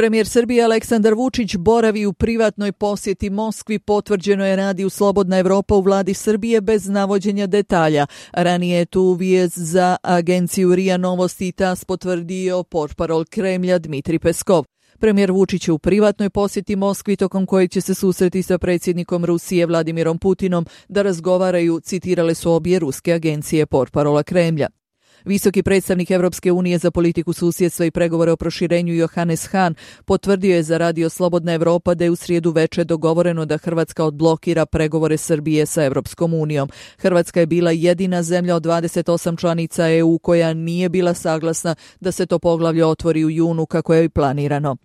Premijer Srbije Aleksandar Vučić boravi u privatnoj posjeti Moskvi, potvrđeno je Radiju Slobodna Evropa u vladi Srbije bez navođenja detalja. Ranije je tu vijest za agenciju RIA Novosti i TAS potvrdio portparol Kremlja Dmitrij Peskov. Premijer Vučić je u privatnoj posjeti Moskvi tokom kojeg će se susreti sa predsjednikom Rusije Vladimirom Putinom da razgovaraju, citirale su obje ruske agencije portparola Kremlja. Visoki predstavnik Europske unije za politiku susjedstva i pregovore o proširenju Johannes Hahn potvrdio je za Radio Slobodna Evropa da je u srijedu veče dogovoreno da Hrvatska odblokira pregovore Srbije sa Europskom unijom. Hrvatska je bila jedina zemlja od 28 članica EU koja nije bila saglasna da se to poglavlje otvori u junu kako je i planirano.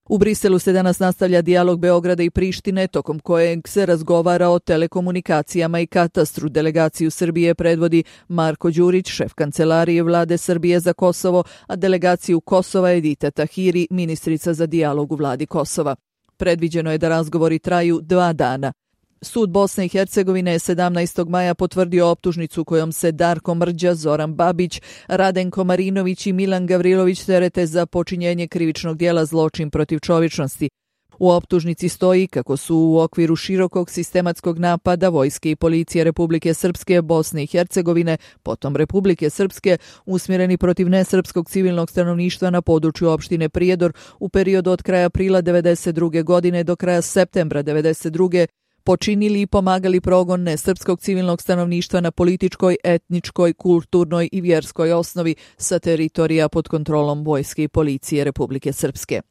U Briselu se danas nastavlja dijalog Beograda i Prištine, tokom kojeg se razgovara o telekomunikacijama i katastru. Delegaciju Srbije predvodi Marko Đurić, šef kancelarije vlade Srbije za Kosovo, a delegaciju Kosova Edita Tahiri, ministrica za dijalog u vladi Kosova. Predviđeno je da razgovori traju 2 dana. Sud Bosne i Hercegovine je 17. maja potvrdio optužnicu kojom se Darko Mrđa, Zoran Babić, Radenko Marinović i Milan Gavrilović terete za počinjenje krivičnog djela zločin protiv čovječnosti. U optužnici stoji kako su u okviru širokog sistematskog napada vojske i policije Republike Srpske, Bosne i Hercegovine, potom Republike Srpske, usmjereni protiv nesrpskog civilnog stanovništva na području opštine Prijedor u periodu od kraja aprila 1992. godine do kraja septembra 1992. počinili i pomagali progon nesrpskog civilnog stanovništva na političkoj, etničkoj, kulturnoj i vjerskoj osnovi sa teritorija pod kontrolom vojske i policije Republike Srpske.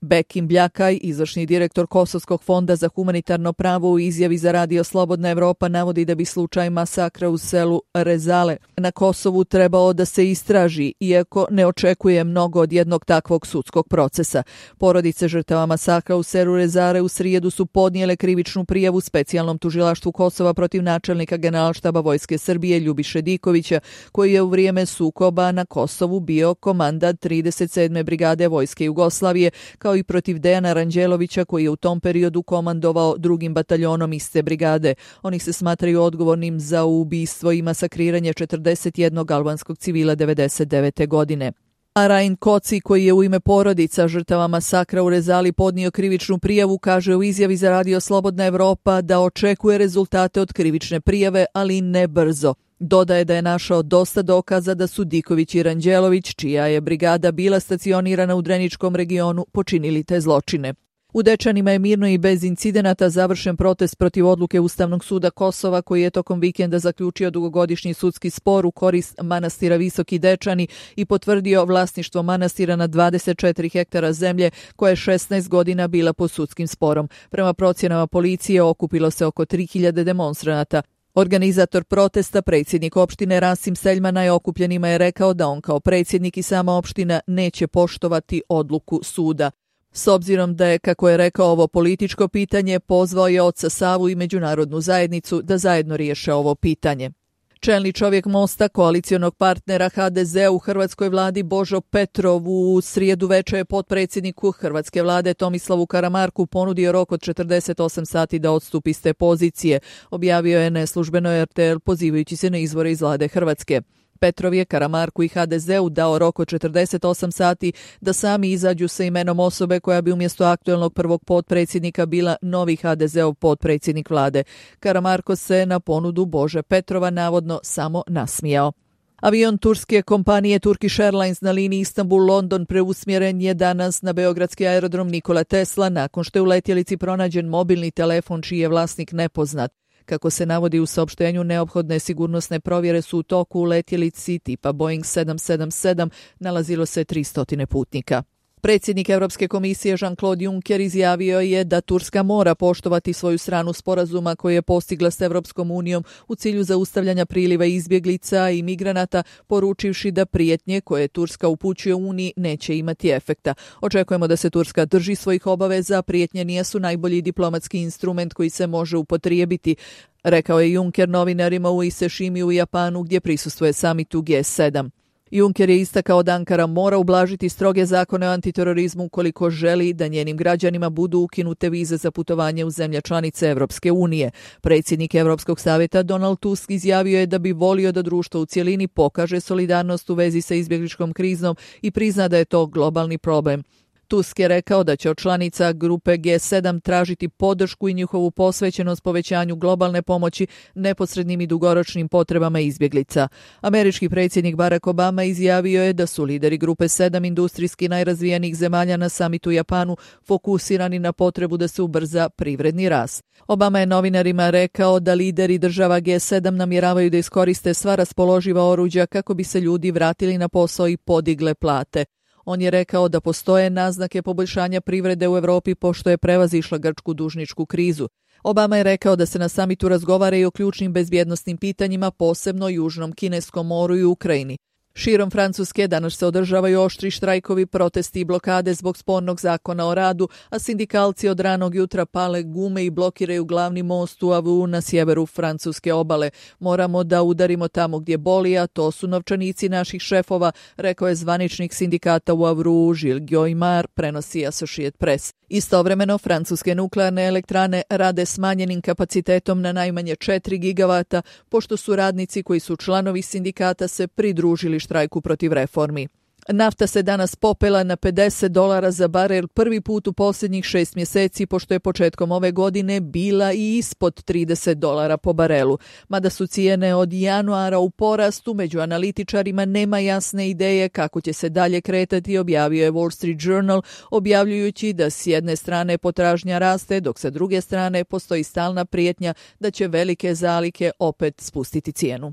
Bekim Bljakaj, izvršni direktor Kosovskog fonda za humanitarno pravo, u izjavi za Radio Slobodna Evropa navodi da bi slučaj masakra u selu Rezale na Kosovu trebao da se istraži, iako ne očekuje mnogo od jednog takvog sudskog procesa. Porodice žrtava masakra u selu Rezale u srijedu su podnijele krivičnu prijavu specijalnom tužilaštvu Kosova protiv načelnika Generalštaba Vojske Srbije Ljubiše Dikovića, koji je u vrijeme sukoba na Kosovu bio komandant 37. brigade Vojske Jugoslavije, kao i protiv Dejana Ranđelovića, koji je u tom periodu komandovao 2. bataljonom iste brigade. Oni se smatraju odgovornim za ubistvo i masakriranje 41 albanskog civila 1999. godine. A Rain Koci, koji je u ime porodica žrtava masakra u Rezali podnio krivičnu prijavu, kaže u izjavi za Radio Slobodna Evropa da očekuje rezultate od krivične prijave, ali ne brzo. Dodaje da je našao dosta dokaza da su Diković i Ranđelović, čija je brigada bila stacionirana u Dreničkom regionu, počinili te zločine. U Dečanima je mirno i bez incidenata završen protest protiv odluke Ustavnog suda Kosova, koji je tokom vikenda zaključio dugogodišnji sudski spor u korist manastira Visoki Dečani i potvrdio vlasništvo manastira na 24 hektara zemlje koja je 16 godina bila pod sudskim sporom. Prema procjenama policije okupilo se oko 3000 demonstranata. Organizator protesta, predsjednik opštine Rasim Seljmana, je okupljenima je rekao da on kao predsjednik i sama opština neće poštovati odluku suda. S obzirom da je, kako je rekao, ovo političko pitanje, pozvao je oca Savu i međunarodnu zajednicu da zajedno riješe ovo pitanje. Čelni čovjek Mosta, koalicionog partnera HDZ u hrvatskoj vladi Božo Petrov u srijedu veče je potpredsjedniku hrvatske vlade Tomislavu Karamarku ponudio rok od 48 sati da odstupi s te pozicije, objavio je neslužbeno RTL pozivajući se na izvore iz vlade Hrvatske. Petrov je Karamarku i HDZ-u dao rok od 48 sati da sami izađu sa imenom osobe koja bi umjesto aktuelnog prvog potpredsjednika bila novi HDZ-ov potpredsjednik vlade. Karamarko se na ponudu Bože Petrova navodno samo nasmijao. Avion turske kompanije Turkish Airlines na liniji Istanbul-London preusmjeren je danas na beogradski aerodrom Nikola Tesla nakon što je u letjelici pronađen mobilni telefon čiji je vlasnik nepoznat. Kako se navodi u saopštenju, neophodne sigurnosne provjere su u toku. U letjelici tipa Boeing 777 nalazilo se 300 putnika. Predsjednik Europske komisije Jean-Claude Juncker izjavio je da Turska mora poštovati svoju stranu sporazuma koji je postigla s Europskom unijom u cilju zaustavljanja priliva izbjeglica i migranata, poručivši da prijetnje koje Turska upućuje Uniji neće imati efekta. Očekujemo da se Turska drži svojih obaveza, prijetnje nisu najbolji diplomatski instrument koji se može upotrijebiti, rekao je Juncker novinarima u Iseshimi u Japanu gdje prisustvuje samitu G7. Juncker je istakao da Ankara mora ublažiti stroge zakone o antiterorizmu ukoliko želi da njenim građanima budu ukinute vize za putovanje u zemlje članice Europske unije. Predsjednik Europskog savjeta Donald Tusk izjavio je da bi volio da društvo u cjelini pokaže solidarnost u vezi sa izbjegličkom krizom i prizna da je to globalni problem. Tusk je rekao da će od članica grupe G7 tražiti podršku i njihovu posvećenost povećanju globalne pomoći neposrednim i dugoročnim potrebama izbjeglica. Američki predsjednik Barack Obama izjavio je da su lideri grupe 7 industrijski najrazvijenijih zemalja na samitu u Japanu fokusirani na potrebu da se ubrza privredni rast. Obama je novinarima rekao da lideri država G7 namjeravaju da iskoriste sva raspoloživa oruđa kako bi se ljudi vratili na posao i podigle plate. On je rekao da postoje naznake poboljšanja privrede u Europi pošto je prevazišla grčku dužničku krizu. Obama je rekao da se na samitu razgovara i o ključnim bezbjednosnim pitanjima, posebno Južnom Kineskom moru i Ukrajini. Širom Francuske danas se održavaju oštri štrajkovi, protesti i blokade zbog spornog zakona o radu, a sindikalci od ranog jutra pale gume i blokiraju glavni most u Avru na sjeveru francuske obale. Moramo da udarimo tamo gdje boli, a to su novčanici naših šefova, rekao je zvaničnik sindikata u Avru Gilles Guillemard, prenosi Associated Press. Istovremeno, francuske nuklearne elektrane rade smanjenim kapacitetom na najmanje 4 gigavata, pošto su radnici koji su članovi sindikata se pridružili štrajku protiv reformi. Nafta se danas popela na $50 za barel prvi put u posljednjih 6 mjeseci, pošto je početkom ove godine bila i ispod $30 po barelu. Mada su cijene od januara u porastu, među analitičarima nema jasne ideje kako će se dalje kretati, objavio je Wall Street Journal, objavljujući da s jedne strane potražnja raste, dok sa druge strane postoji stalna prijetnja da će velike zalihe opet spustiti cijenu.